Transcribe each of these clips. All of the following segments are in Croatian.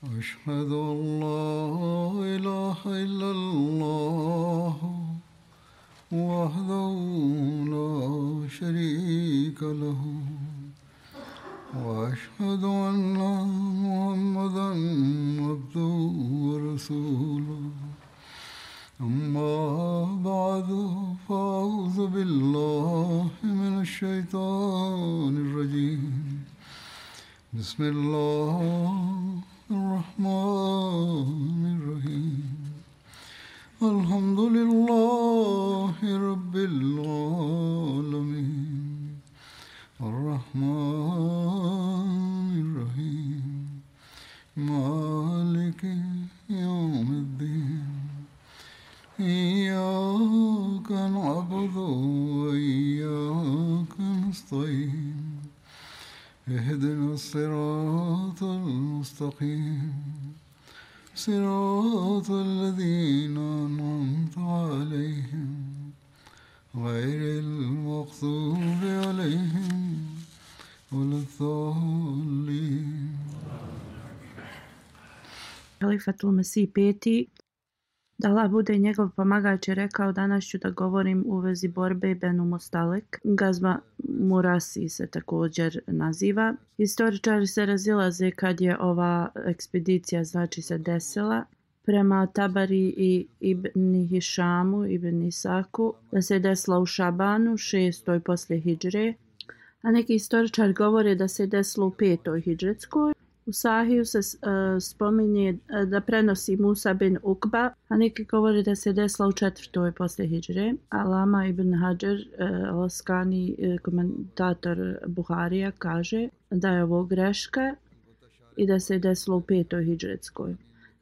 أشهد أن لا إله إلا الله وحده لا شريك له وأشهد أن محمدا عبده ورسوله أما بعد فأعوذ بالله من الشيطان الرجيم بسم الله الرحمن الرحيم الحمد لله رب العالمين الرحمن الرحيم مالك يوم الدين إياك نعبد وإياك نستعين اهدنا الصراط المستقيم صراط الذين أنعمت عليهم غير المغضوب عليهم ولا الضالين. Halifatul Mesih peti, da Allah bude njegov pomagač, je rekao: danas ću da govorim u vezi borbe Benu Mustalek. Gazva Murasi se također naziva. Historičari se razilaze kad je ova ekspedicija se desila. Prema Tabari i Ibn Hišamu, Ibn Isaku, da se desila u Šabanu 6. poslije hidžre, a neki historičari govore da se desilo u 5. hidžretskoj. U Sahiju se spominje da prenosi Musa bin Ukba, a neki govore da se desila u 4. poslije hidžre. Alama ibn Hajar al-Askani, komentator Buharija, kaže da je ovo greška i da se desilo u 5. hidžretskoj.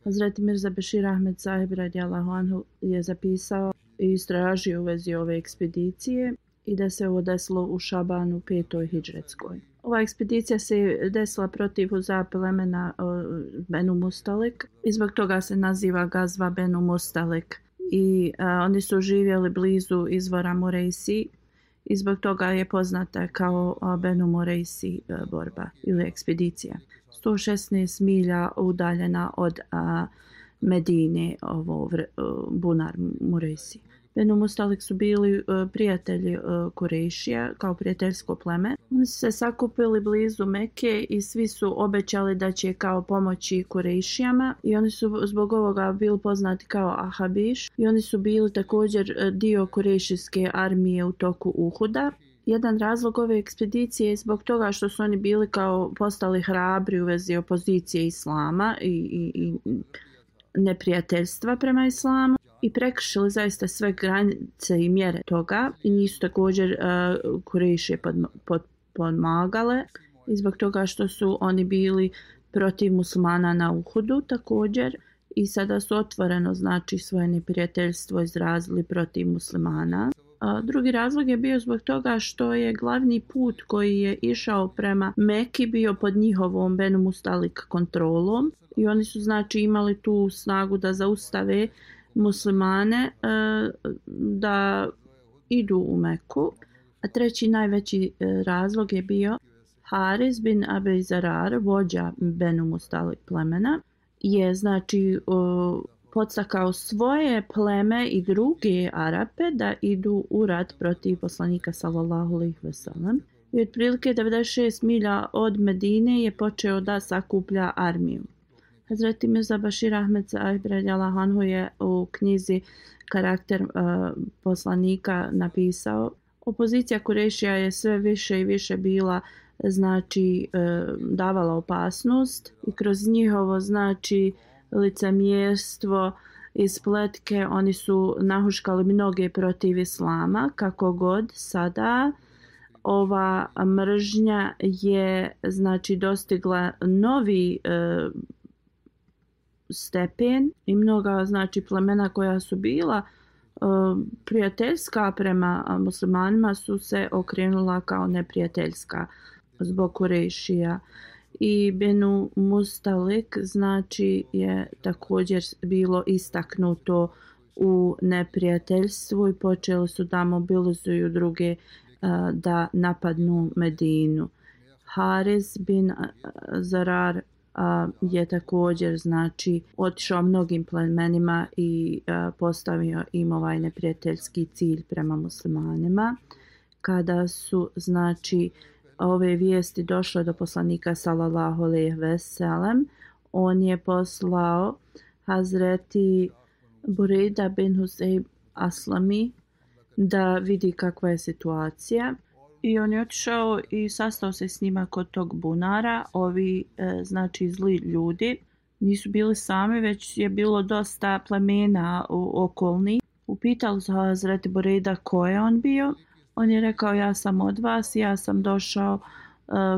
Hazreti Mirza Bešir Ahmed Sahib radijallahu anhu je zapisao i istražio u vezi ove ekspedicije i da se ovo desilo u Šabanu 5. hidžretskoj. Ova ekspedicija se desila protiv Huza plemena Benu Mustalek i zbog toga se naziva Gazva Benu Mustalek. I oni su živjeli blizu izvora Murejsi i zbog toga je poznata kao Benu Murejsi borba ili ekspedicija. 116 milja udaljena od Medine, bunar Murejsi. Benu Mustalek su bili prijatelji Kurejšija kao prijateljsko pleme. Oni su se sakupili blizu Mekke i svi su obećali da će kao pomoći Kurejšijama i oni su zbog ovoga bili poznati kao Ahabiš i oni su bili također dio Kurejšijske armije u toku Uhuda. Jedan razlog ove ekspedicije je zbog toga što su oni bili kao postali hrabri u vezi opozicije islama i neprijateljstva prema islamu i prekršili zaista sve granice i mjere toga i nisu također Kurejšije pomagale i zbog toga što su oni bili protiv muslimana na Uhudu također i sada su otvoreno svoje neprijateljstvo izrazili protiv muslimana. Drugi razlog je bio zbog toga što je glavni put koji je išao prema Meki bio pod njihovom Benu Mustalik kontrolom i oni su imali tu snagu da zaustave muslimane da idu u Meku. A treći najveći razlog je bio Haris bin Abi Zarar, vođa Benu Mustalik plemena, je podstakao svoje pleme i druge Arape da idu u rat protiv poslanika sallallahu alejhi ve sellem. I otprilike 96 milja od Medine je počeo da sakuplja armiju. Hazreti Mirza Bešir Ahmed Sahib radijallahu anhu je u knjizi Karakter poslanika napisao: opozicija Kurejšija je sve više i više bila davala opasnost i kroz njihovo licemjerstvo i spletke oni su nahuškali mnoge protiv islama. Kako god sada ova mržnja je dostigla novi stepen i mnoga plemena koja su bila prijateljska prema muslimanima su se okrenula kao neprijateljska zbog Kurejšija. I Benu Mustalik je također bilo istaknuto u neprijateljstvu i počeli su da mobilizuju druge da napadnu Medinu. Haris bin Zarar je također znači otišao mnogim plemenima i postavio im ovaj neprijateljski cilj prema muslimanima. Kada su znači ove vijesti došle do poslanika sallallahu alejhi ve sellem, on je poslao Hazreti Burejda bin Husejb Aslami da vidi kakva je situacija. I on je otišao i sastao se s njima kod tog bunara. Ovi znači zli ljudi nisu bili sami, već je bilo dosta plemena okolnih. Upitali su Hazreti Burejda ko je on bio. On je rekao ja sam od vas, ja sam došao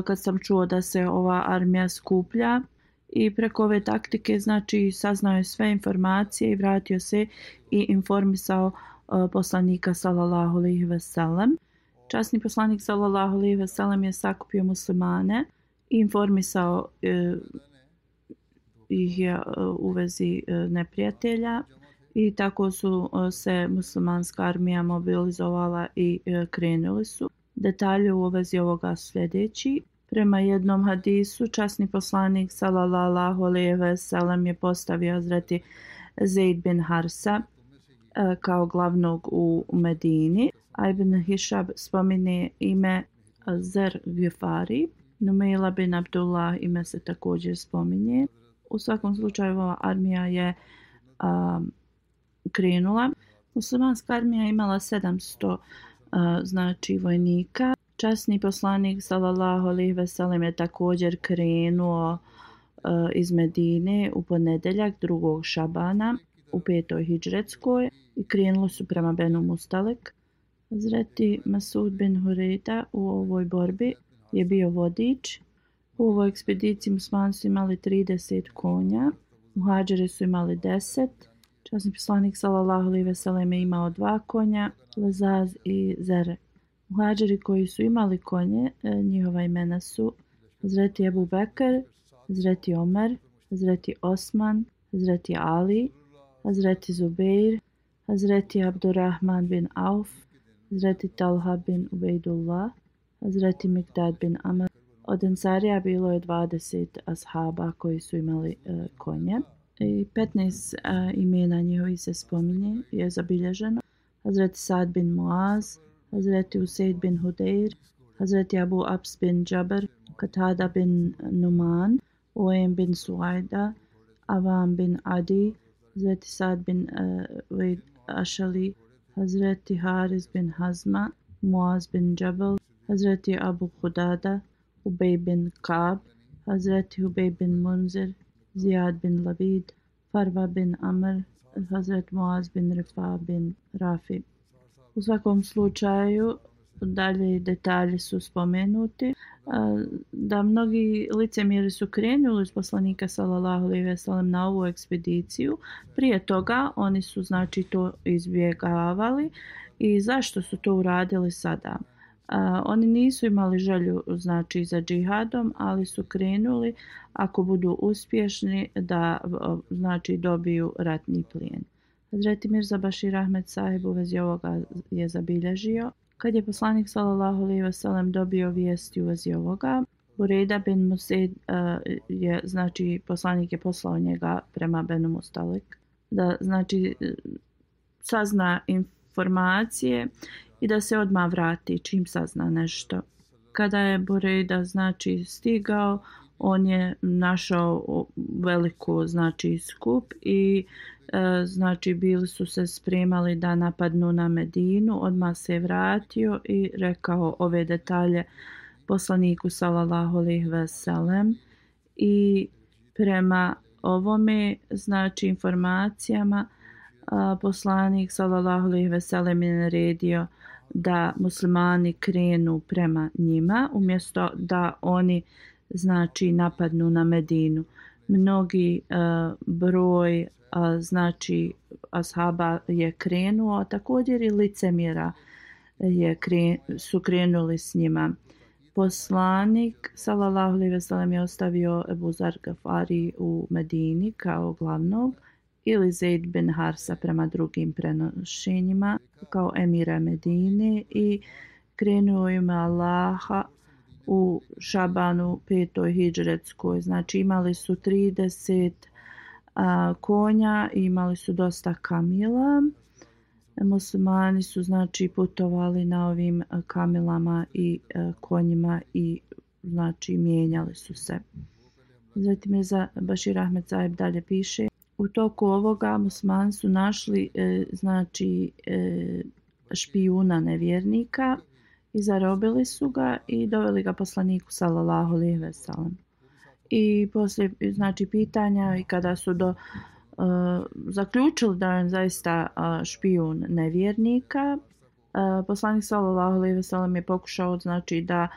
kad sam čuo da se ova armija skuplja. I preko ove taktike znači saznao je sve informacije i vratio se i informisao poslanika sallallahu alejhi ve sellem. Časni poslanik sallallahu alejhi ve sellem je sakupio muslimane i informisao ih je u vezi neprijatelja i tako su se muslimanska armija mobilizovala i krenuli su. Detalje u vezi ovoga sljedeći. Prema jednom hadisu časni poslanik sallallahu alejhi ve sellem je postavio Hazreti Zeid bin Harsa kao glavnog u Medini. A Ibn Hišab spominje ime Zer Gifari. Numeila bin Abdullah ime se također spominje. U svakom slučaju ova armija je krenula. Muslimanska armija imala 700 znači vojnika. Časni poslanik sallallahu alejhi ve sellem je također krenuo iz Medine u ponedjeljak 2. Šabana u 5. hidžretskoj i krenuli su prema Benu Mustalek. Hazreti Masud bin Hurejda u ovoj borbi je bio vodič. U ovoj ekspediciji muslimani su imali 30 konja, muhadžiri su imali 10. Časni poslanik sallallahu alejhi ve sellem je imao 2 konja, Lazaz i Zer. Muhadžiri koji su imali konje, njihova imena su Hazreti Ebu Bekr, Hazreti Omer, Hazreti Osman, Hazreti Ali, Hazreti Zubeir, Hazreti Abdurrahman bin Auf, Hazreti Talha bin Ubejdullah, Hazreti Mikdad bin Amr. Od Ensarija bilo je 20 ashaba koji su imali konje. I 15 imena njihovi se spominje, je zabilježeno. Hazreti Sad bin Muaz, Hazreti Usaid bin Hudejr, Hazreti Abu Abs bin Džabr, Katada bin Numan, Oem bin Suajda, Avam bin Adi, Hazreti Sad bin Vejd Ašali, Hazreti Haris bin Hazma, Muaz bin Džabal, Hazreti Abu Hudada, Ubej bin Kab, Hazreti Ubej bin Munzir, Zijad bin Labid, Farva bin Amr, Hazreti Muaz bin Rifa bin Rafi. U svakom slučaju, dalje detalji su spomenuti, da mnogi licemjeri su krenuli uz poslanika sallallahu alejhi ve sellem na ovu ekspediciju. Prije toga oni su znači to izbjegavali. I zašto su to uradili sada? Oni nisu imali želju znači za džihadom, ali su krenuli ako budu uspješni da znači dobiju ratni plijen. Hazreti Mirza Bashir Ahmed Sahib u vezi ovoga je zabilježio. Kad je poslanik sallallahu alejhi ve sellem dobio vijesti u vezi ovoga, Burejda bin Musaid je znači poslanik je poslao njega prema Benu Mustalek da znači sazna informacije i da se odmah vrati čim sazna nešto. Kada je Burejda znači stigao, on je našao veliku znači skup i znači bili su se spremali da napadnu na Medinu. Odmah se vratio i rekao ove detalje poslaniku sallallahu alejhi ve sellem i prema ovome znači informacijama poslanik sallallahu alejhi ve sellem je naredio da muslimani krenu prema njima umjesto da oni znači napadnu na Medinu. Mnogi broj znači ashaba je krenuo, također i licemjera su krenuli s njima. Poslanik sallallahu alejhi ve sellem je ostavio Ebu Zar Gafari u Medini kao glavnog ili Zeid bin Harsa prema drugim prenošenjima kao emira Medine i krenuo ime Allaha u Šabanu 5. hidžretskoj. Znači imali su 30 konja, imali su dosta kamila. Muslimani su znači putovali na ovim kamilama i konjima i znači mijenjali su se. Zatim je za Bašir Ahmed Sahib dalje piše: u toku ovoga muslimani su našli znači špijuna nevjernika i zarobili su ga i doveli ga poslaniku sallallahu alejhi ve sellem. I poslije znači pitanja i kada su zaključili da je zaista špijun nevjernika, poslanik sallallahu alejhi ve sellem je pokušao znači da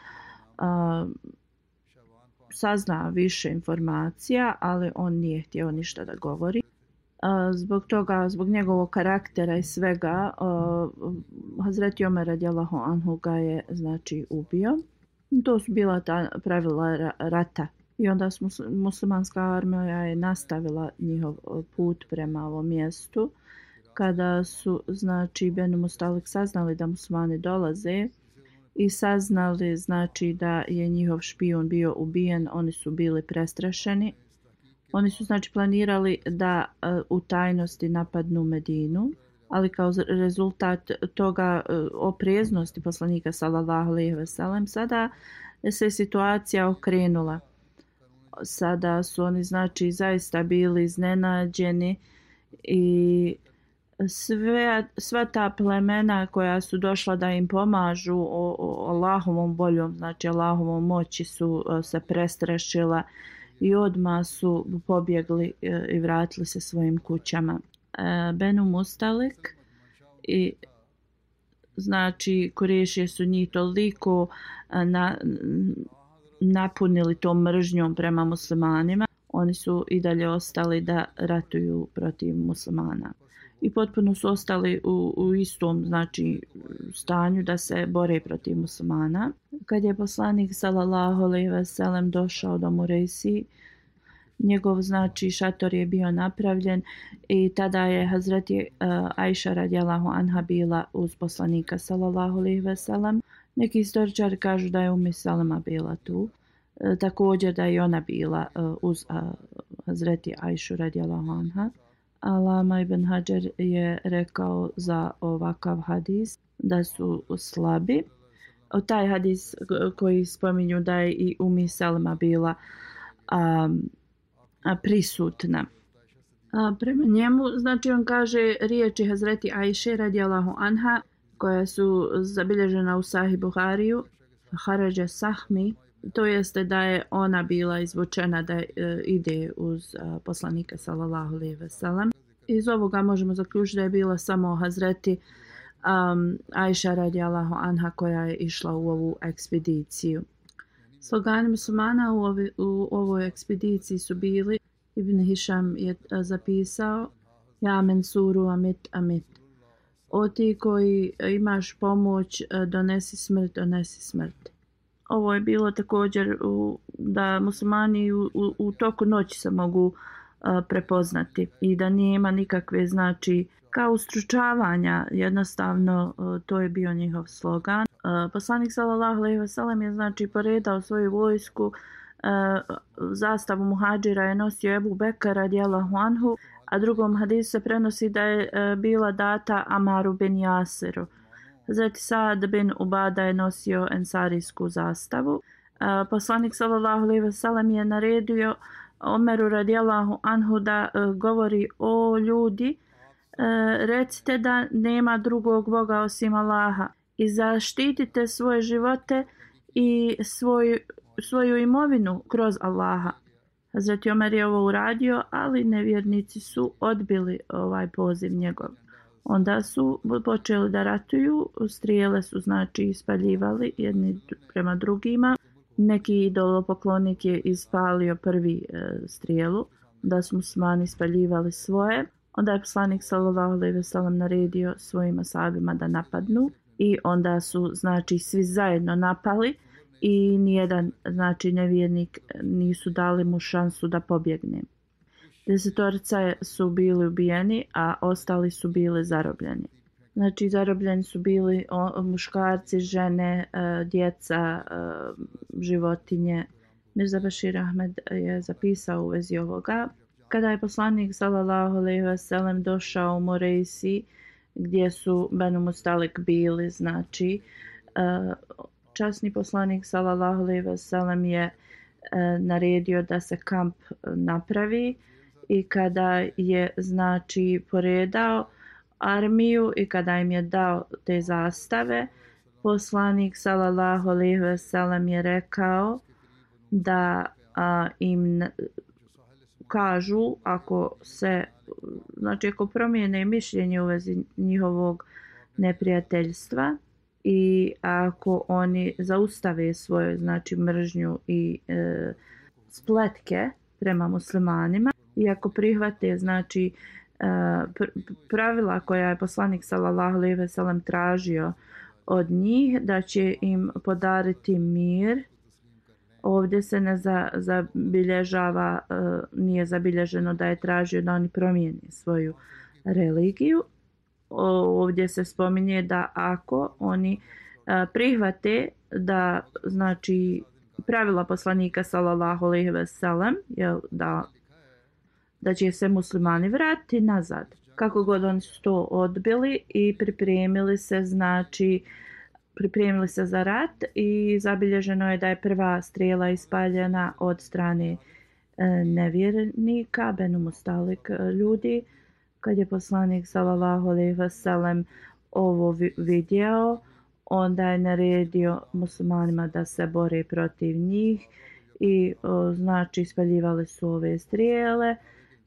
sazna više informacija, ali on nije htio ništa da govori. Zbog toga, zbog njegovog karaktera i svega, Hazreti Omer radijallahu anhu ga je znači ubio. To su bila ta pravila rata. I onda muslimanska armija je nastavila njihov put prema ovom mjestu. Kada su znači Benu Mustalik saznali da muslimani dolaze i saznali znači da je njihov špijun bio ubijen, oni su bili prestrašeni. Oni su znači planirali da u tajnosti napadnu Medinu, ali kao rezultat toga opreznosti poslanika sallallahu alejhi ve sellem sada se situacija okrenula. Sada su oni znači zaista bili iznenađeni i sva ta plemena koja su došla da im pomažu Allahovom voljom, znači Allahovom moći su se prestrašila i odmah su pobjegli i vratili se svojim kućama. Benu Mustalik i znači Kurešije su njih toliko napunili tom mržnjom prema muslimanima, oni su i dalje ostali da ratuju protiv muslimana. I potpuno su ostali u istom znači stanju da se bore protiv muslimana. Kad je poslanik sallallahu alejhi ve sellem došao do Murejsi, njegov znači šator je bio napravljen i tada je Hazreti Ajša radijallahu anha bila uz poslanika sallallahu alejhi ve sellem. Neki istoričari kažu da je Salama bila tu. Također da je ona bila uz Hazreti Ajšu radijallahu anha. Alama ibn Hajar je rekao za ovakav hadis da su slabi. Taj hadis koji spominju da je i Salama bila prisutna. Prema njemu, znači on kaže riječi Hazreti Ajše radijallahu anha koja su zabilježena u Sahih Buhariju, Harađa Sahmi, to jeste da je ona bila izvučena da ide uz poslanika sallallahu alejhi ve sellem. Iz ovoga možemo zaključiti da je bila samo Hazreti Ajša radijallahu anha koja je išla u ovu ekspediciju. Slogani muslimana u ovoj ekspediciji su bili, Ibn Hišam je zapisao: Ja mensuru amit amit. O ti koji imaš pomoć, donesi smrt. Ovo je bilo također da muslimani u toku noći se mogu prepoznati i da nema nikakve znači kao ustručavanja, jednostavno to je bio njihov slogan. Poslanik sallallahu alejhi ve sellem je znači poredao svoju vojsku, zastavu muhadžira je nosio Ebu Bekr radijallahu anhu, a drugom hadisu se prenosi da je bila data Amaru bin Jasiru. Hazreti Saad bin Ubada je nosio ensarijsku zastavu. Poslanik sallallahu alejhi ve sellem je naredio Omeru radijallahu anhu da govori: o ljudi, recite da nema drugog Boga osim Allaha i zaštitite svoje živote i svoju imovinu kroz Allaha. Hazreti Omer je ovo uradio, ali nevjernici su odbili ovaj poziv njegov. Onda su počeli da ratuju, strijele su znači ispaljivali jedni prema drugima. Neki idolopoklonik je ispalio prvi strijelu, da su muslimani ispaljivali svoje. Onda je poslanik sallallahu alejhi ve sellem naredio svojim ashabima da napadnu i onda su znači svi zajedno napali i nijedan znači nevjernik nisu dali mu šansu da pobjegne. 10 su bili ubijeni, a ostali su bili zarobljeni. Znači, zarobljeni su bili muškarci, žene, djeca, životinje. Mirza Bashir Ahmed je zapisao u vezi ovoga. Kada je poslanik sallallahu alejhi ve sellem došao u Moreisi, gdje su Benu Mustalik bili, znači, časni poslanik sallallahu alejhi ve sellem je naredio da se kamp napravi i kada je, znači, poredao armiju i kada im je dao te zastave, poslanik sallallahu alejhi ve sellem je rekao da im kažu ako se, znači ako promijene mišljenje u vezi njihovog neprijateljstva i ako oni zaustave svoju, znači, mržnju i spletke prema muslimanima i ako prihvate, znači, pravila koja je poslanik sallallahu alejhi ve sellem tražio od njih, da će im podariti mir. Ovdje se ne zabilježava, nije zabilježeno da je tražio da oni promijene svoju religiju. Ovdje se spominje da ako oni prihvate da, znači, pravila poslanika sallallahu alejhi ve sellem, da će se muslimani vratiti nazad. Kako god oni su to odbili i pripremili se, znači, pripremili se za rat i zabilježeno je da je prva strijela ispaljena od strane nevjernika, Benu Mustalik ljudi. Kad je poslanik sallallahu alejhi ve sellem ovo vidio, onda je naredio muslimanima da se bore protiv njih i, znači, ispaljivali su ove strijele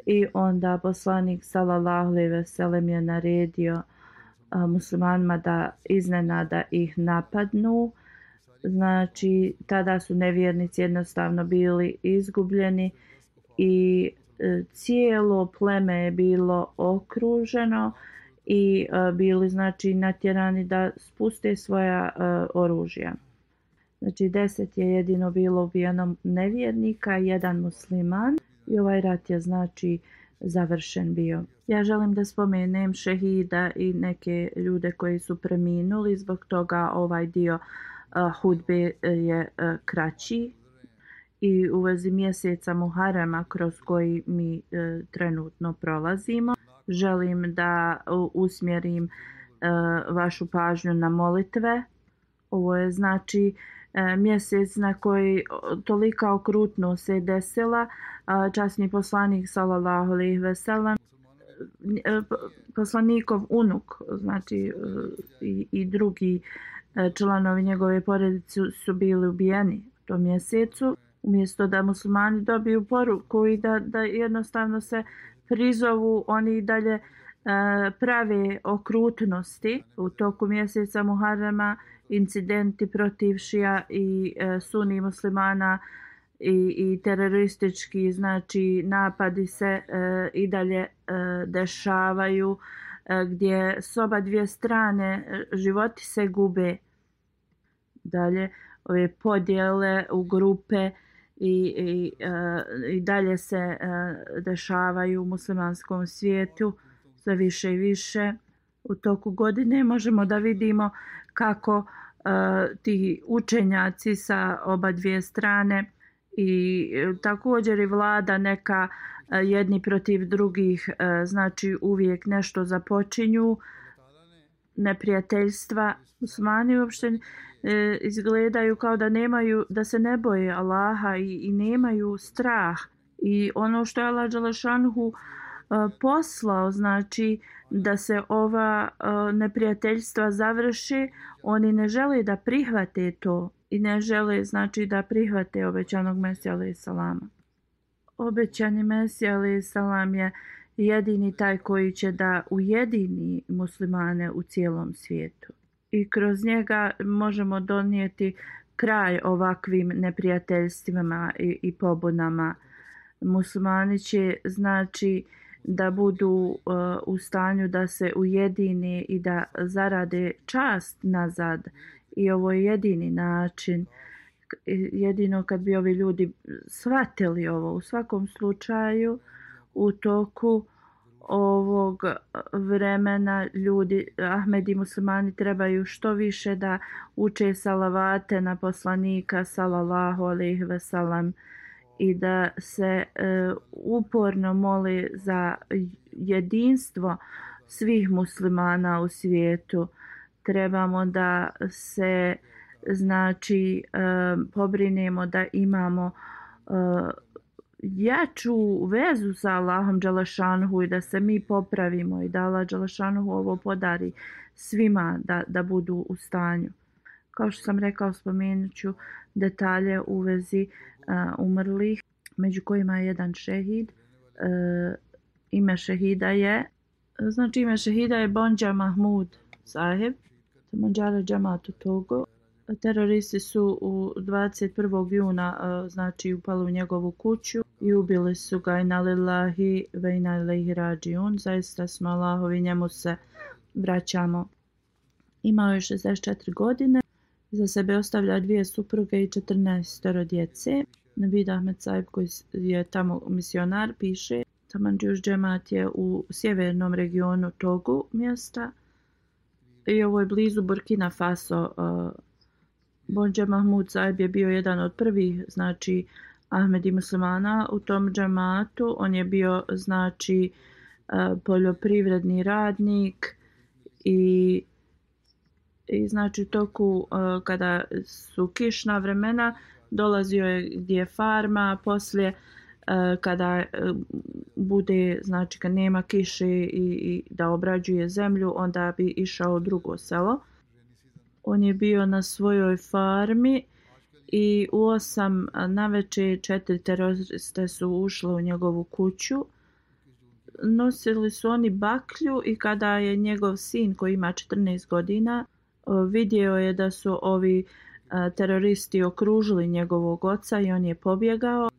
i onda poslanik sallallahu alejhi ve sellem je naredio muslimanima da iznenada ih napadnu. Znači, tada su nevjernici jednostavno bili izgubljeni i cijelo pleme je bilo okruženo i bili, znači, natjerani da spuste svoja oružja. Znači, 10 je jedino bilo ubijeno nevjernika, jedan musliman i ovaj rat je, znači, završen bio. Ja želim da spomenem šehida i neke ljude koji su preminuli, zbog toga ovaj dio hudbe je kraći. I u vezi mjeseca Muharrema kroz koji mi trenutno prolazimo, želim da usmjerim vašu pažnju na molitve. Ovo je, znači, mjesec na koji tolika okrutnost se desila. Časni poslanik sallallahu alejhi ve sellem, poslanikov unuk, znači, i drugi članovi njegove porodice su bili ubijeni u tom mjesecu. Umjesto da muslimani dobiju poruku i da jednostavno se prizovu, oni i dalje prave okrutnosti. U toku mjeseca Muharrema incidenti protiv šija i suni muslimana i teroristički, znači, napadi se i dalje dešavaju, gdje s oba dvije strane životi se gube. Dalje, ove podjele u grupe i dalje se dešavaju u muslimanskom svijetu sve više i više. U toku godine možemo da vidimo kako ti učenjaci sa oba dvije strane i također i vlada neka jedni protiv drugih, znači, uvijek nešto započinju, neprijateljstva. Muslimani uopšte izgledaju kao da nemaju, da se ne boje Allaha i nemaju strah. I ono što je Allah dželešanhu poslao, znači, da se ova neprijateljstva završi, oni ne žele da prihvate to i ne žele, znači, da prihvate obećanog Mesija alejhi salama. Obećani Mesija alejhi salam je jedini taj koji će da ujedini muslimane u cijelom svijetu. I kroz njega možemo donijeti kraj ovakvim neprijateljstvima i pobunama. Muslimani će, znači, da budu u stanju da se ujedine i da zarade čast nazad. I ovo je jedini način. Jedino kad bi ovi ljudi shvatili ovo. U svakom slučaju, u toku ovog vremena ljudi, Ahmedi muslimani trebaju što više da uče salavate na poslanika sallallahu alejhi ve sellem i da se uporno mole za jedinstvo svih muslimana u svijetu. Trebamo da se znači pobrinemo da imamo jaču vezu sa Allahom dželešanuhu i da se mi popravimo i da Allah dželešanuhu ovo podari svima da budu u stanju. Kao što sam rekao, spomenut ću detalje u vezi umrlih, među kojima je jedan šehid. Ime šehida je Bonđa Mahmud Saheb, Manđara Džamatu Togo. Teroristi su 21. juna znači upali u njegovu kuću i ubili su ga. Inna lillahi ve inna ilaihi rađiun. Zaista smo Allahovi, njemu se vraćamo. Imao je 64 godine. Za sebe ostavlja 2 supruge i 14 djece. Navid Ahmed Saheb, koji je tamo misionar, piše: Tamanđuš džemat je u sjevernom regionu Togu mjesta i ovo je blizu Burkina Faso. Bonđa Mahmud Saheb je bio jedan od prvih znači Ahmedi muslimana u tom džematu. On je bio znači poljoprivredni radnik i znači u toku kada su kišna vremena dolazio je gdje je farma, poslije kada bude znači kad nema kiše i da obrađuje zemlju, onda bi išao u drugo selo. On je bio na svojoj farmi i u 8 navečer 4 teroriste su ušle u njegovu kuću. Nosili su oni baklju i kada je njegov sin koji ima 14 godina vidio je da su ovi teroristi okružili njegovog oca i on je pobjegao.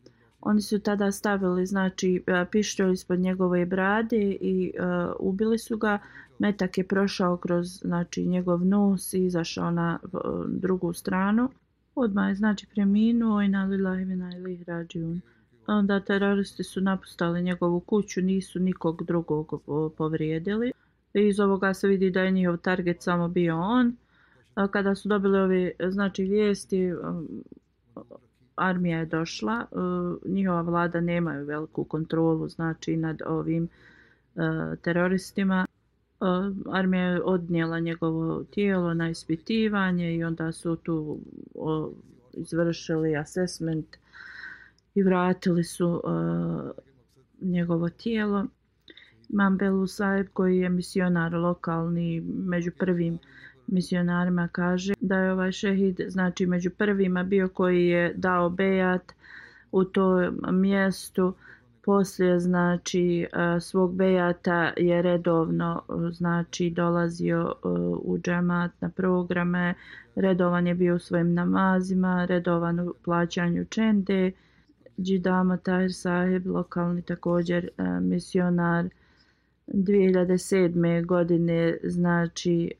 Oni su tada stavili znači pištolj ispod njegove brade i ubili su ga. Metak je prošao kroz znači njegov nos i izašao na drugu stranu. Odmah je znači preminuo i inna lillahi ve inna ilaihi rađiun. Onda teroristi su napustali njegovu kuću, nisu nikog drugog povrijedili. I iz ovoga se vidi da je njihov target samo bio on. Kada su dobili ove znači vijesti, armija je došla. Njihova vlada nemaju veliku kontrolu znači nad ovim teroristima. Armija je odnijela njegovo tijelo na ispitivanje i onda su tu izvršili assessment i vratili su njegovo tijelo. Imam Belu Saheb, koji je misionar lokalni, među prvim misionarima, kaže da je ovaj šehid znači među prvima bio koji je dao bejat u tom mjestu. Poslije znači svog bejata je redovno znači dolazio u džemat na programe, redovan je bio u svojim namazima, redovan u plaćanju čende. Džidama Tahir Saheb, lokalni također misionar, 2007. godine znači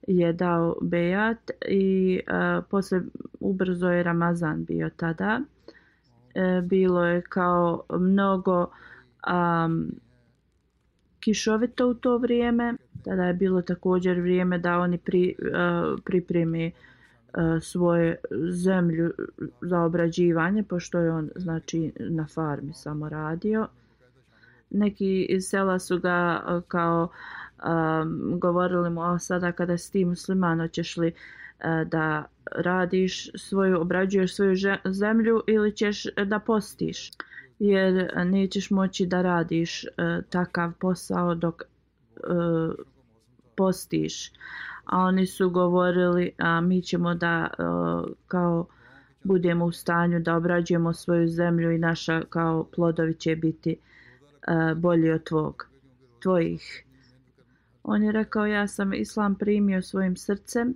je dao bejat i poslije ubrzo je Ramazan bio tada. Bilo je kao mnogo kišovito u to vrijeme. Tada je bilo također vrijeme da oni pripremi svoju zemlju za obrađivanje, pošto je on znači na farmi samo radio. Neki iz sela su ga kao govorili mu: sada kada si ti musliman, hoćeš li da radiš obrađuješ svoju zemlju ili ćeš da postiš, jer nećeš moći da radiš takav posao dok postiš. A oni su govorili: mi ćemo da kao budemo u stanju da obrađujemo svoju zemlju i naša kao plodovi će biti bolji od tvojih. On je rekao: ja sam islam primio svojim srcem.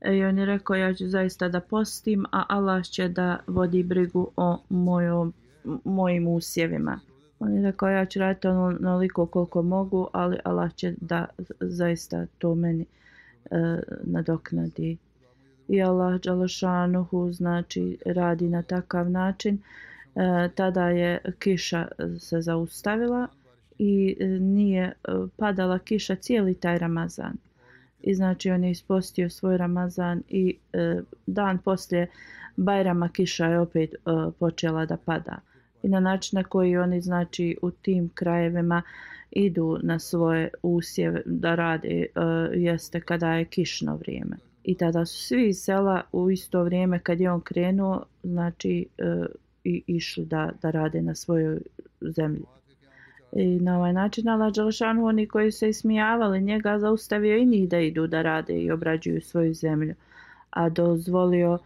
I on je rekao: ja ću zaista da postim, a Allah će da vodi brigu o mojim usjevima. On je rekao: ja ću raditi onoliko koliko mogu, ali Allah će da zaista to meni nadoknadi. I Allah dželešanuhu znači radi na takav način. Tada je kiša se zaustavila i nije padala kiša cijeli taj Ramazan. I znači on je ispostio svoj Ramazan i dan poslije Bajrama kiša je opet počela da pada. I na način na koji oni znači u tim krajevima idu na svoje usjeve da rade jeste kada je kišno vrijeme. I tada su svi iz sela u isto vrijeme kad je on krenuo znači i išli da rade na svojoj zemlji. I na ovaj način Allah dželešanu oni koji se ismijavali njega zaustavio i njih da idu da rade i obrađuju svoju zemlju, a dozvolio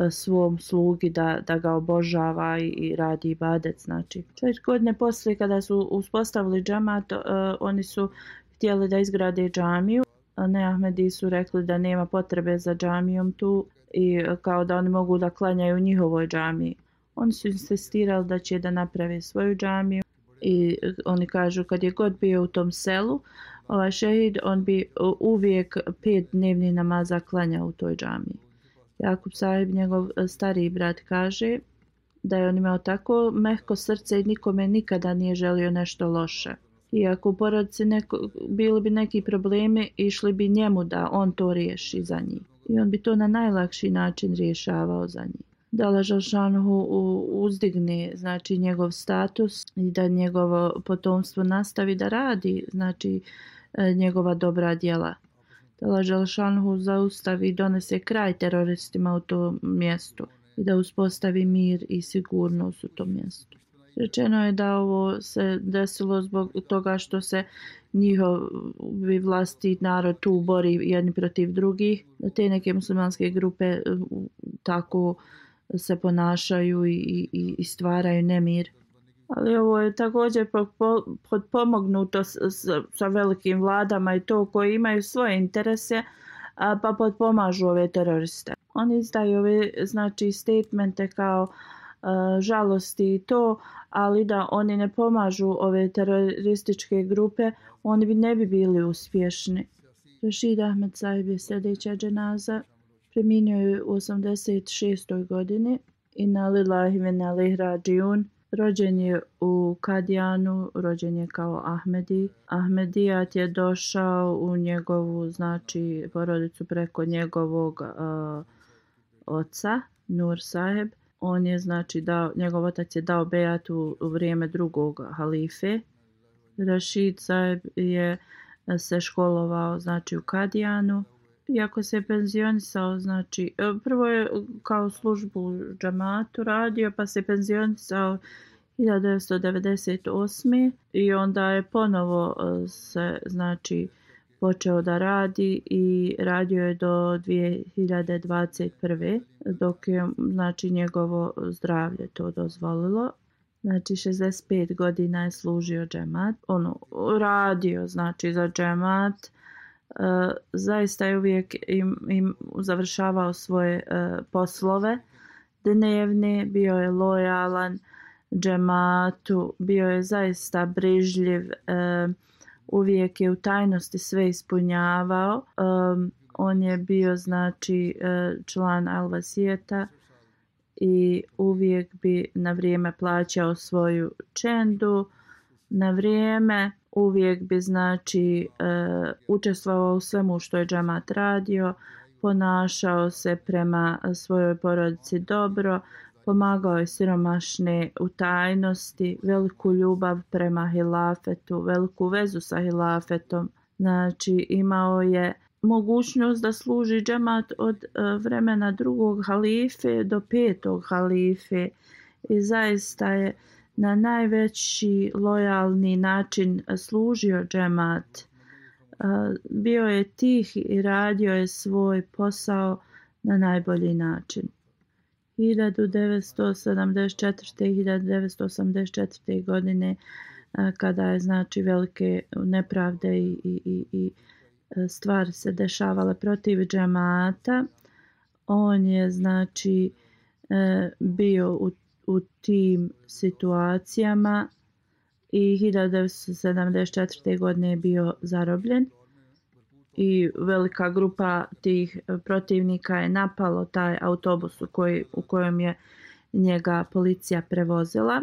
svom slugi da ga obožava i radi ibadet. Znači, 4 godine poslije kada su uspostavili džemat, oni su htjeli da izgrade džamiju. Neahmedi su rekli da nema potrebe za džamijom tu i kao da oni mogu da klanjaju u njihovoj džamiji. Oni su insistirali da će da naprave svoju džamiju i oni kažu kad je god bio u tom selu, ovaj šehid, on bi uvijek 5 dnevnih namaza klanjao u toj džamiji. Jakub Sahib, njegov stariji brat, kaže da je on imao tako mehko srce i nikome nikada nije želio nešto loše. Iako u porodici bili bi neki problemi, išli bi njemu da on to riješi za njih. I on bi to na najlakši način rješavao za njih. Da Allah dželešanu uzdigne znači njegov status i da njegovo potomstvo nastavi da radi znači njegova dobra djela. Da Allah dželešanu zaustavi i donese kraj teroristima u tom mjestu i da uspostavi mir i sigurnost u tom mjestu. Rečeno je da ovo se desilo zbog toga što se njihovi vlastiti narod tu bori jedni protiv drugih. Te neke muslimanske grupe tako se ponašaju i stvaraju nemir. Ali ovo je također potpomognuto sa velikim vladama i to koji imaju svoje interese pa potpomažu ove teroriste. Oni izdaju ove znači statemente kao žalosti i to, ali da oni ne pomažu ove terorističke grupe, oni ne bi bili uspješni. Rashid Ahmed Sahib je sljedeća dženaza. Preminio je u 86. godini. Inna lillahi wa inna ilaihi rađiun. Rođen je u Kadijanu, rođen je kao Ahmedi. Ahmedijat je došao u njegovu znači porodicu preko njegovog oca, Nur Saheb. On je znači njegov otac je dao bejat u vrijeme drugog halife. Rashid Saheb je se školovao znači u Kadijanu. Iako se je penzionisao, znači prvo je kao službu u džamatu radio, pa se penzionisao 1998. i onda je ponovo se znači počeo da radi i radio je do 2021. dok je znači njegovo zdravlje to dozvolilo. Znači 65 godina je služio džemat, radio znači za džemat. Zaista je uvijek im završavao svoje poslove dnevne, bio je lojalan džematu, bio je zaista brižljiv, uvijek je u tajnosti sve ispunjavao. On je bio znači član Al-Vasijeta i uvijek bi na vrijeme plaćao svoju čendu, na vrijeme uvijek bi znači učestvovao u svemu što je džemat radio, ponašao se prema svojoj porodici dobro, pomagao je siromašne u tajnosti, veliku ljubav prema hilafetu, veliku vezu sa hilafetom. Znači imao je mogućnost da služi džemat od vremena drugog halife do 5. halife i zaista je na najveći lojalni način služio džemat. Bio je tih i radio je svoj posao na najbolji način. 1974. i 1984. godine kada je znači velike nepravde i stvari se dešavale protiv džemata, on je znači bio u tim situacijama i 1974. godine je bio zarobljen i velika grupa tih protivnika je napalo taj autobus u kojem je njega policija prevozila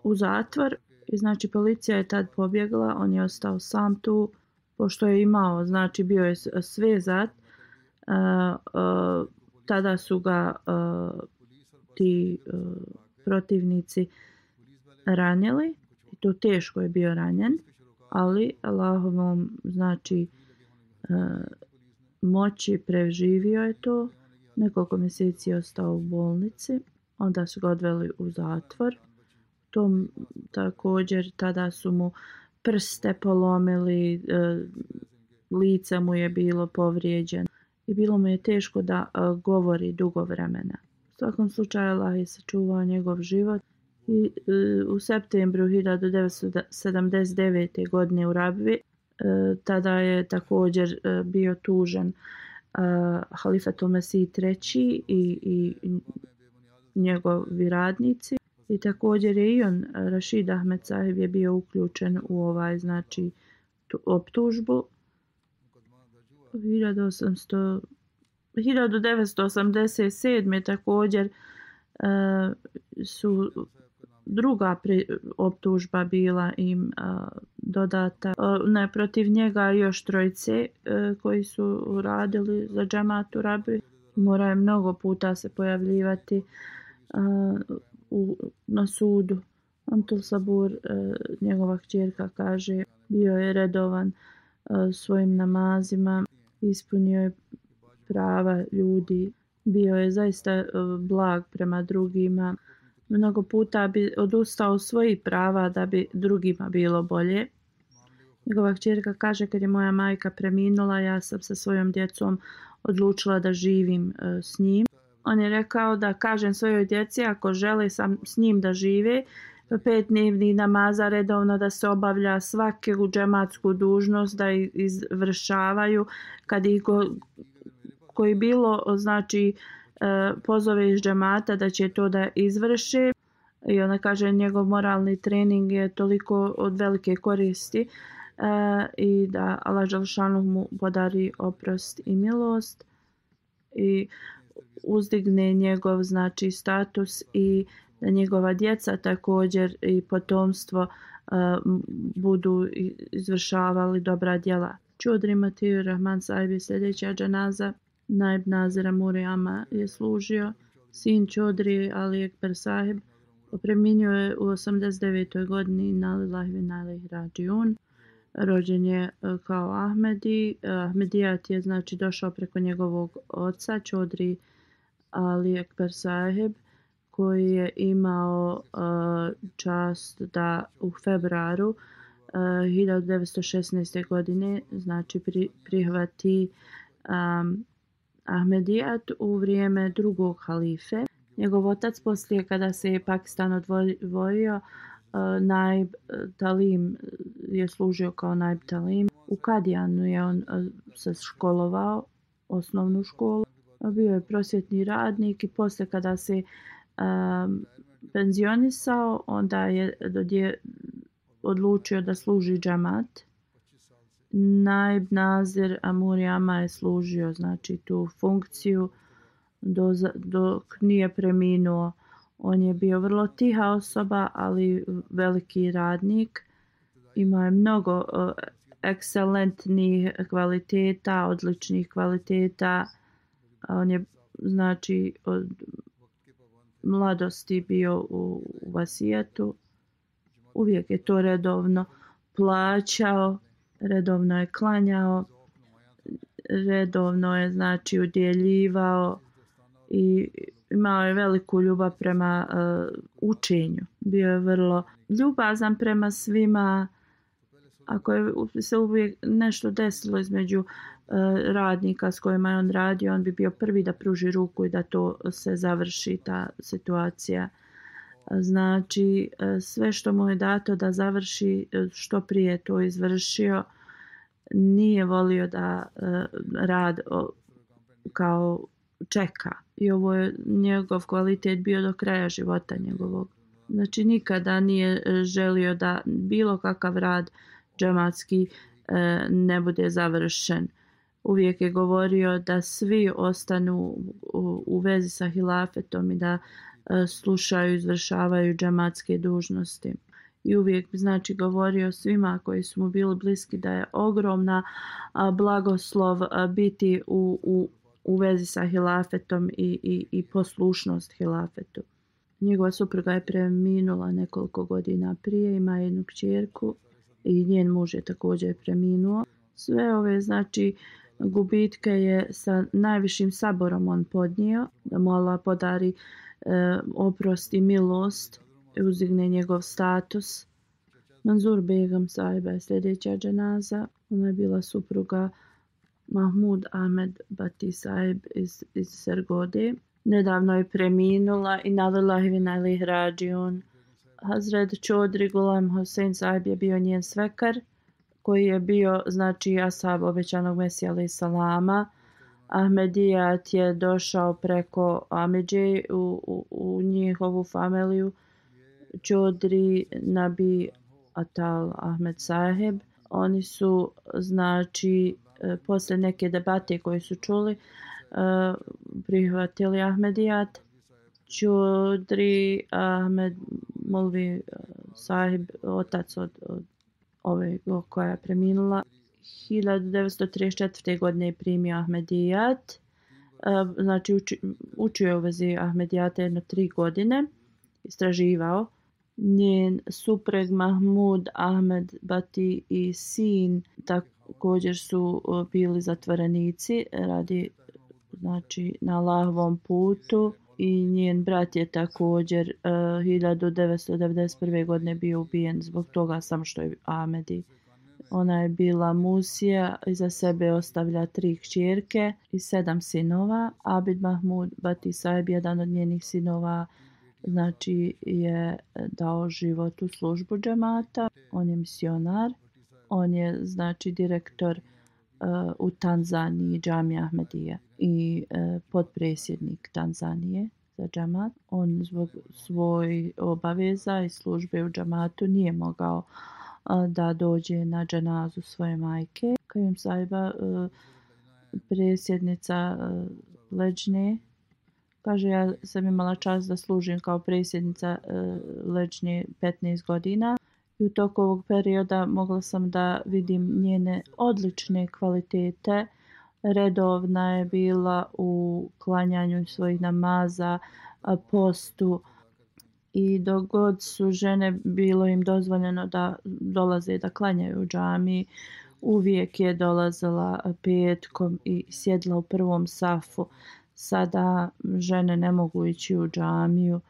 u zatvor I znači policija je tad pobjegla, on je ostao sam tu, pošto je imao, znači bio je svezat. Tada su ga ti protivnici ranili i to teško je bio ranjen, ali Allahovom znači moći preživio je to. Nekoliko mjeseci je ostao u bolnici, onda su ga odveli u zatvor. Tom također tada su mu prste polomili, lice mu je bilo povrijeđeno i bilo mu je teško da govori dugo vremena. U svakom slučaju Allah je sačuvao njegov život i u septembru 1979. godine u Rabvi tada je također bio tužen Halifatul Mesih III i njegovi radnici. I također je i on, Rashid Ahmed Sahib, je bio uključen u ovaj, znači, optužbu. 1987. također su druga optužba bila im dodata. Ne, protiv njega još trojice koji su radili za džemat u Rabbi. Morao je mnogo puta se pojavljivati na sudu. Antul Sabur, njegova kćerka, kaže, bio je redovan svojim namazima, ispunio je prava ljudi, bio je zaista blag prema drugima. Mnogo puta bi odustao svojih prava da bi drugima bilo bolje. Njegova kćerka kaže, kad je moja majka preminula, ja sam sa svojom djecom odlučila da živim s njim. On je rekao da kažem svojoj djeci ako žele s njim da žive, 5 dnevnih namaza redovno da se obavlja, svaku džematsku dužnost da izvršavaju, kad ih koji bilo znači pozove iz džemata da će to da izvrše. I ona kaže njegov moralni trening je toliko od velike koristi i da Allah dželešanu mu podari oprost i milost i uzdigne njegov znači status i da njegova djeca također i potomstvo budu izvršavali dobra djela. Čudri Matiju Rahman Sahib je sljedeća džanaza. Naib Nazira Murijama je služio. Sin Čudri Ali Ekber Sahib preminio je u 89. godini. Inna lillahi wa inna ilaihi rađiun. Rođen je kao Ahmedi. Ahmedijat je znači došao preko njegovog oca Čudri Ali Ekber Sahib, koji je imao čast da u februaru 1916. godine znači prihvati Ahmedijat u vrijeme drugog halife. Njegov otac poslije kada se je Pakistan odvojio, Naib Talim je služio kao Naib Talim. U Kadijanu je on se školovao, osnovnu školu. Bio je prosvjetni radnik i poslije kada se penzionisao, onda je odlučio da služi džemat. Naib Nazir Murijama je služio znači tu funkciju dok nije preminuo. On je bio vrlo tiha osoba, ali veliki radnik. Imao je mnogo ekscelentnih kvaliteta, odličnih kvaliteta. On je znači od mladosti bio u vasijetu. Uvijek je to redovno plaćao, redovno je klanjao, redovno je znači udjeljivao i imao je veliku ljubav prema učenju. Bio je vrlo ljubazan prema svima. Ako je se uvijek nešto desilo između radnika s kojima je on radio, on bi bio prvi da pruži ruku i da to se završi, ta situacija. Znači, sve što mu je dato da završi, što prije to izvršio. Nije volio da rad kao čeka. I ovo je njegov kvalitet bio do kraja života njegovog. Znači, nikada nije želio da bilo kakav rad džematski ne bude završen. Uvijek je govorio da svi ostanu u vezi sa hilafetom i da slušaju i izvršavaju džematske dužnosti. i uvijek bi znači govorio svima koji su mu bili bliski da je ogromna blagoslov biti u vezi sa hilafetom i poslušnost hilafetu. Njegova supruga je preminula nekoliko godina prije, ima jednu kćerku i njen muž je također preminuo. Sve ove znači gubitke je sa najvišim saborom on podnio, da mu Allah podari oprost i milost i uzdigne njegov status. Manzur Begam sahiba je sljedeća dženaza. Ona je bila supruga Mahmud Ahmed Bati sahib iz Sergode. Nedavno je preminula i nalillahi wa inna ilaihi rađiun. Hazret Chaudhry Ghulam Hussain sahib je bio njen svekar koji je bio znači ashab obećanog Mesija alejhi salama. Ahmedijat je došao preko Amidže u njihovu familiju. Chaudhry Nabi Atal Ahmed sahib. Oni su znači posle neke debate koje su čuli prihvatili Ahmedijat. Chaudhry Ahmed Molvi sahib, otac od ove koja je preminula, 1934. godine je primio Ahmedijat. Znači učio je u vezi Ahmedijata jedno 3 godine, istraživao. Njen supreg Mahmud Ahmed Bati i sin također su bili zatvorenici radi znači na Allahovom putu i njen brat je također 1991. godine bio ubijen zbog toga samo što je Ahmedi. Ona je bila Musija, iza sebe ostavlja 3 kćerke i 7 sinova. Abid Mahmud Bati sahib, jedan od njenih sinova, znači je dao život u službu džemata. On je misionar. On je znači direktor u Tanzaniji džamije Ahmedije i potpredsjednik Tanzanije za džemat. On zbog svojih obaveza i službe u džematu nije mogao da dođe na dženazu svoje majke. Kajum sahiba, predsjednica Leđne, kaže, ja sam imala čast da služim kao predsjednica Leđne 15 godina. I u toku ovog perioda mogla sam da vidim njene odlične kvalitete. Redovna je bila u klanjanju svojih namaza, postu i dok god su žene bilo im dozvoljeno da dolaze da klanjaju u džamiji, uvijek je dolazila petkom i sjedla u prvom safu. Sada žene ne mogu ići u džamiju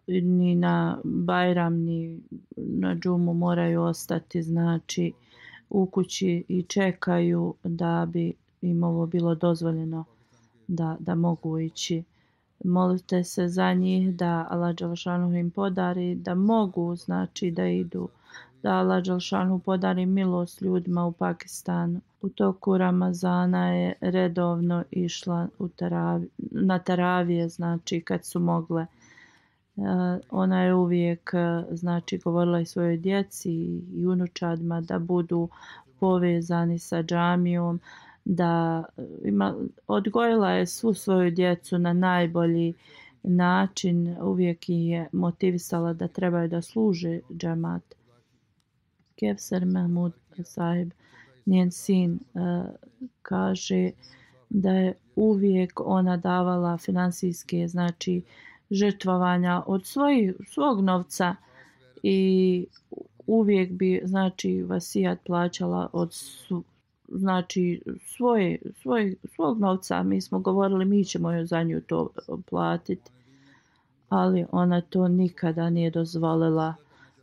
ni na Bajram ni na džumu, moraju ostati znači u kući i čekaju da bi im ovo bilo dozvoljeno da mogu ići. Molite se za njih da Allah dželešanu im podari da mogu znači da idu, da Allah dželešanu podari milost ljudima u Pakistanu. U toku Ramazana je redovno išla na taravije, znači kad su mogle. Ona je uvijek znači govorila i svojoj djeci i unučadima da budu povezani sa džamijom, da odgojila je svu svoju djecu na najbolji način, uvijek ih je motivisala da trebaju da služe džemat. Kevser Mahmud sahib, njen sin, kaže da je uvijek ona davala finansijske znači žrtvovanja od svog novca i uvijek bi znači vasijat plaćala od znači svog novca. Mi smo govorili mi ćemo joj za nju to platiti, ali ona to nikada nije dozvolila.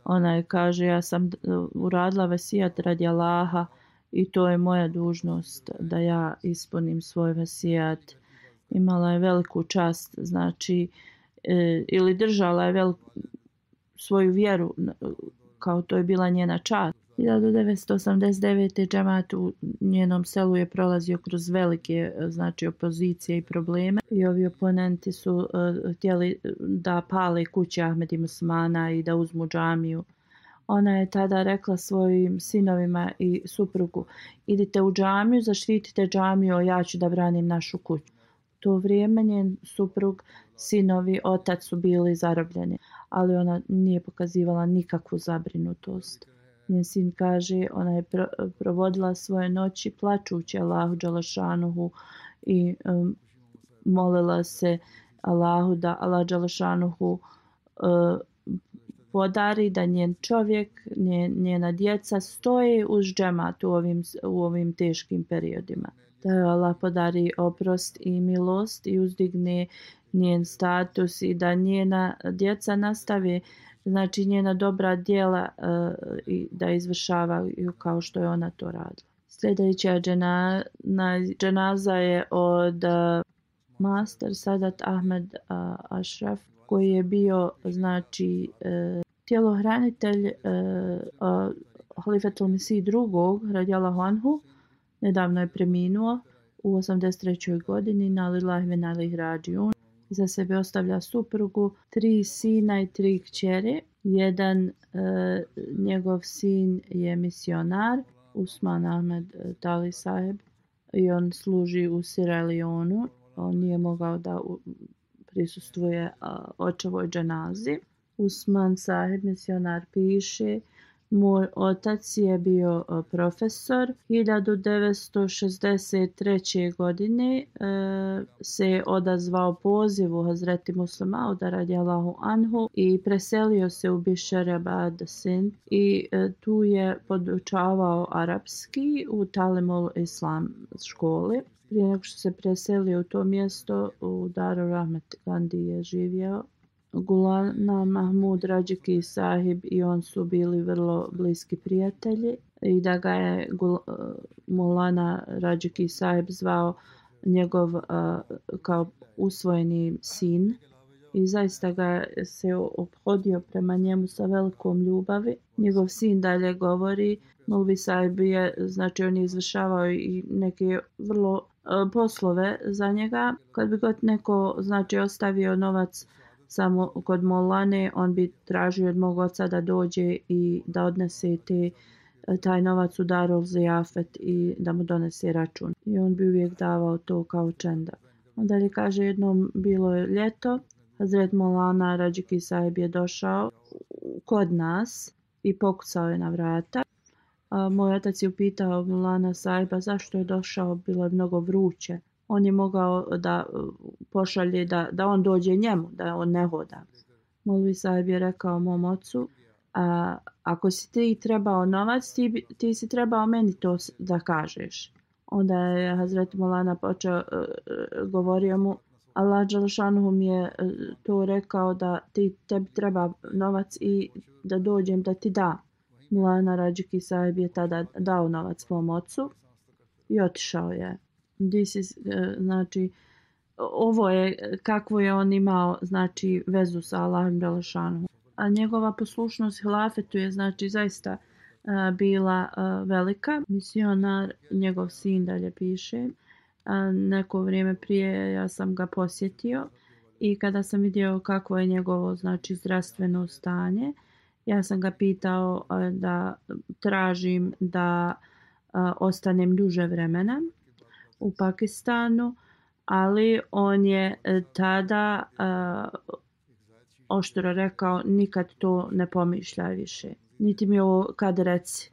Ona je kaže, ja sam uradila vasijat radi Allaha i to je moja dužnost da ja ispunim svoj vasijat. Imala je veliku čast, znači ili držala je svoju vjeru kao to je bila njena čast. 1989. džemat u njenom selu je prolazio kroz velike znači opozicije i probleme i ovi oponenti su htjeli da pale kuće Ahmedi Musmana i da uzmu džamiju. Ona je tada rekla svojim sinovima i suprugu, idite u džamiju, zaštitite džamiju, ja ću da branim našu kuću. U to vrijeme njen suprug sinovi otac su bili zarobljeni, ali ona nije pokazivala nikakvu zabrinutost. Njen sin kaže, ona je provodila svoje noći plačući Allahu dželešanuhu i molila se Allahu da Allah dželešanuhu podari da njen čovjek, njena djeca stoje uz džemat u ovim teškim periodima. Da joj Allah podari oprost i milost i uzdigne njen status i da njena djeca nastave, znači njena dobra djela i da izvršavaju kao što je ona to radila. Sljedeća dženaza je od Master Sadat Ahmed Ashraf, koji je bio znači tjelohranitelj Halifetul Mesih II. Radijallahu anhu. Nedavno je preminuo u 83. godini na lillahi ve inna ilaihi rađiun. Iza sebe ostavlja suprugu, 3 sina i 3 kćeri. Jedan njegov sin je misionar, Usman Ahmed Tali Saheb, i on služi u Sierra Leoneu. On nije mogao da prisustvuje očevoj dženazi. Usman Saheb, misionar, piše: moj otac je bio profesor. 1963. godine se odazvao pozivu Hazreti Muslima Mauda radijallahu anhu i preselio se u Bisharabad Sind i tu je podučavao arapski u Talimul Islam školi. Prije nego što se preselio u to mjesto, u Darul Rahmet Gandhi je živio. Gulana Mahmud Rađiki Sahib i on su bili vrlo bliski prijatelji i da ga je Mulana Rađiki Sahib zvao njegov kao usvojeni sin i zaista ga se ophodio prema njemu sa velikom ljubavi. Njegov sin dalje govori, Mulvi Sahib je, znači on je izvršavao i neke vrlo poslove za njega. Kad bi god neko znači ostavio novac samo kod Molane, on bi tražio od mog oca da dođe i da odnese taj novac u Darul Zijafet i da mu donese račun. I on bi uvijek davao to kao čenda. Onda je kaže, jednom bilo je ljeto, Hazret Molana Rađiki Sahib je došao kod nas i pokucao je na vrata. Moj otac je upitao Molana Sahiba zašto je došao, bilo je mnogo vruće. On je mogao da pošalje da on dođe njemu, da on ne hoda. Molvi Sahib je rekao mom ocu, ako si ti trebao novac, ti si trebao meni to da kažeš. Onda je Hazret Molana počeo, govorio mu, Allah dželešanuhu mi je to rekao da tebi treba novac i da dođem da ti da. Molana Rađiki Sahib je tada dao novac mom ocu i otišao je. Znači, ovo je kakvo je on imao znači vezu sa Allahom dželešanuhu. A njegova poslušnost hilafetu je znači zaista bila velika. Misionar, njegov sin dalje piše, neko vrijeme prije ja sam ga posjetio i kada sam vidio kakvo je njegovo znači zdravstveno stanje, ja sam ga pitao da tražim da ostanem duže vremena u Pakistanu, ali on je tada oštro rekao, nikad to ne pomišljaj više. Niti mi ovo kad reci.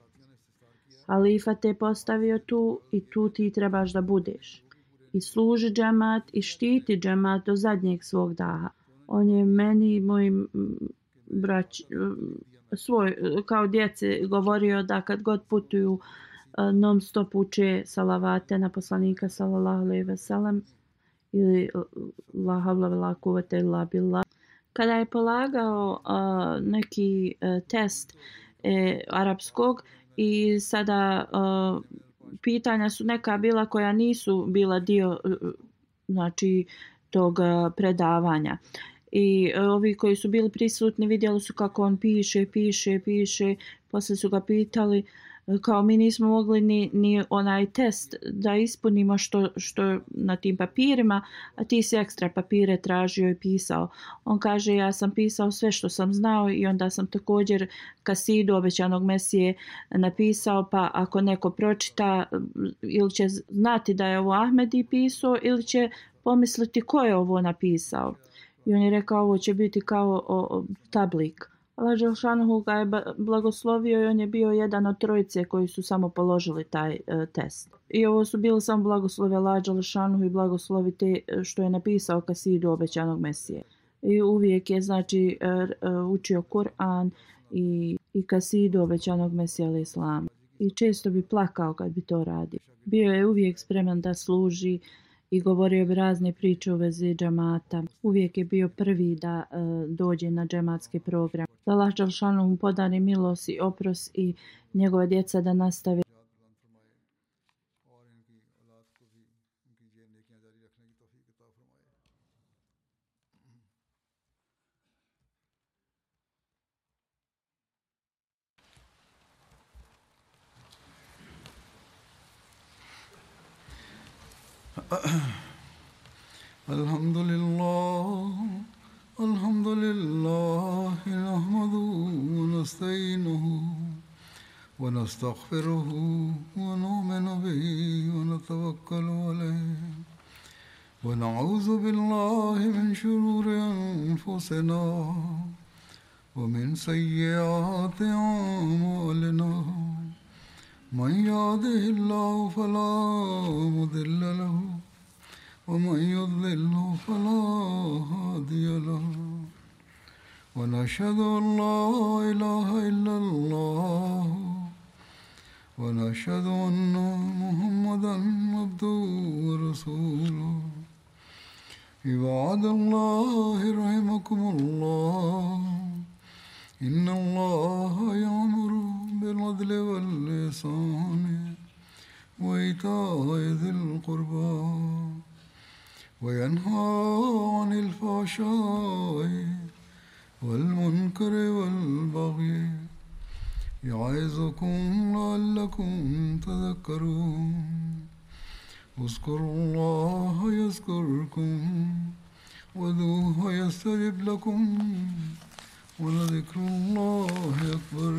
Halifa te postavio tu i tu ti trebaš da budeš. I služi džemat i štiti džemat do zadnjeg svog daha. On je meni i mojim kao djeci govorio da kad god putuju non stop uče salavate na poslanika sallallahu alejhi ve sellem ili la havla ve la kuvvete illa billah. Kada je polagao neki test arapskog i sada pitanja su neka bila koja nisu bila dio znači tog predavanja. I ovi koji su bili prisutni vidjeli su kako on piše. Poslije su ga pitali kao mi nismo mogli ni onaj test da ispunimo što na tim papirima, a ti si ekstra papire tražio i pisao. On kaže ja sam pisao sve što sam znao i onda sam također kasidu obećanog Mesije napisao, pa ako neko pročita ili će znati da je ovo Ahmedi pisao ili će pomisliti ko je ovo napisao. I on je rekao ovo će biti kao tablik. Allah Đelšanuhu ga je blagoslovio i on je bio jedan od trojice koji su samo položili taj test. I ovo su bili samo blagoslovi Allah Đelšanuhu i blagoslovi te što je napisao kasidu obećanog Mesije. I uvijek je znači učio Kur'an i kasidu obećanog Mesija alaih salam. I često bi plakao kad bi to radio. Bio je uvijek spreman da služi i govorio bi razne priče u vezi džemata. Uvijek je bio prvi da dođe na džematski program. Da Allah Đelšanuhu mu podari milost i oprost i njegove djeca da nastave. الحمد لله نحمده ونستعينه ونستغفره ونؤمن به ونتوكل عليه ونعوذ بالله من شرور أنفسنا ومن سيئات أعمالنا من يهده الله فلا مضل له ومن يضلل فلا هادي له ونشهد أن لا إله إلا الله ونشهد أن محمدا عبده ورسوله عباد الله رحمكم الله إن الله يأمر بالعدل والإحسان وإيتاء ذي القربى وينهى عن الفحشاء والمنكر والبغي يعظكم لعلكم تذكرون اذكروا الله يذكركم وادعوه يستجب لكم ولذكر الله أكبر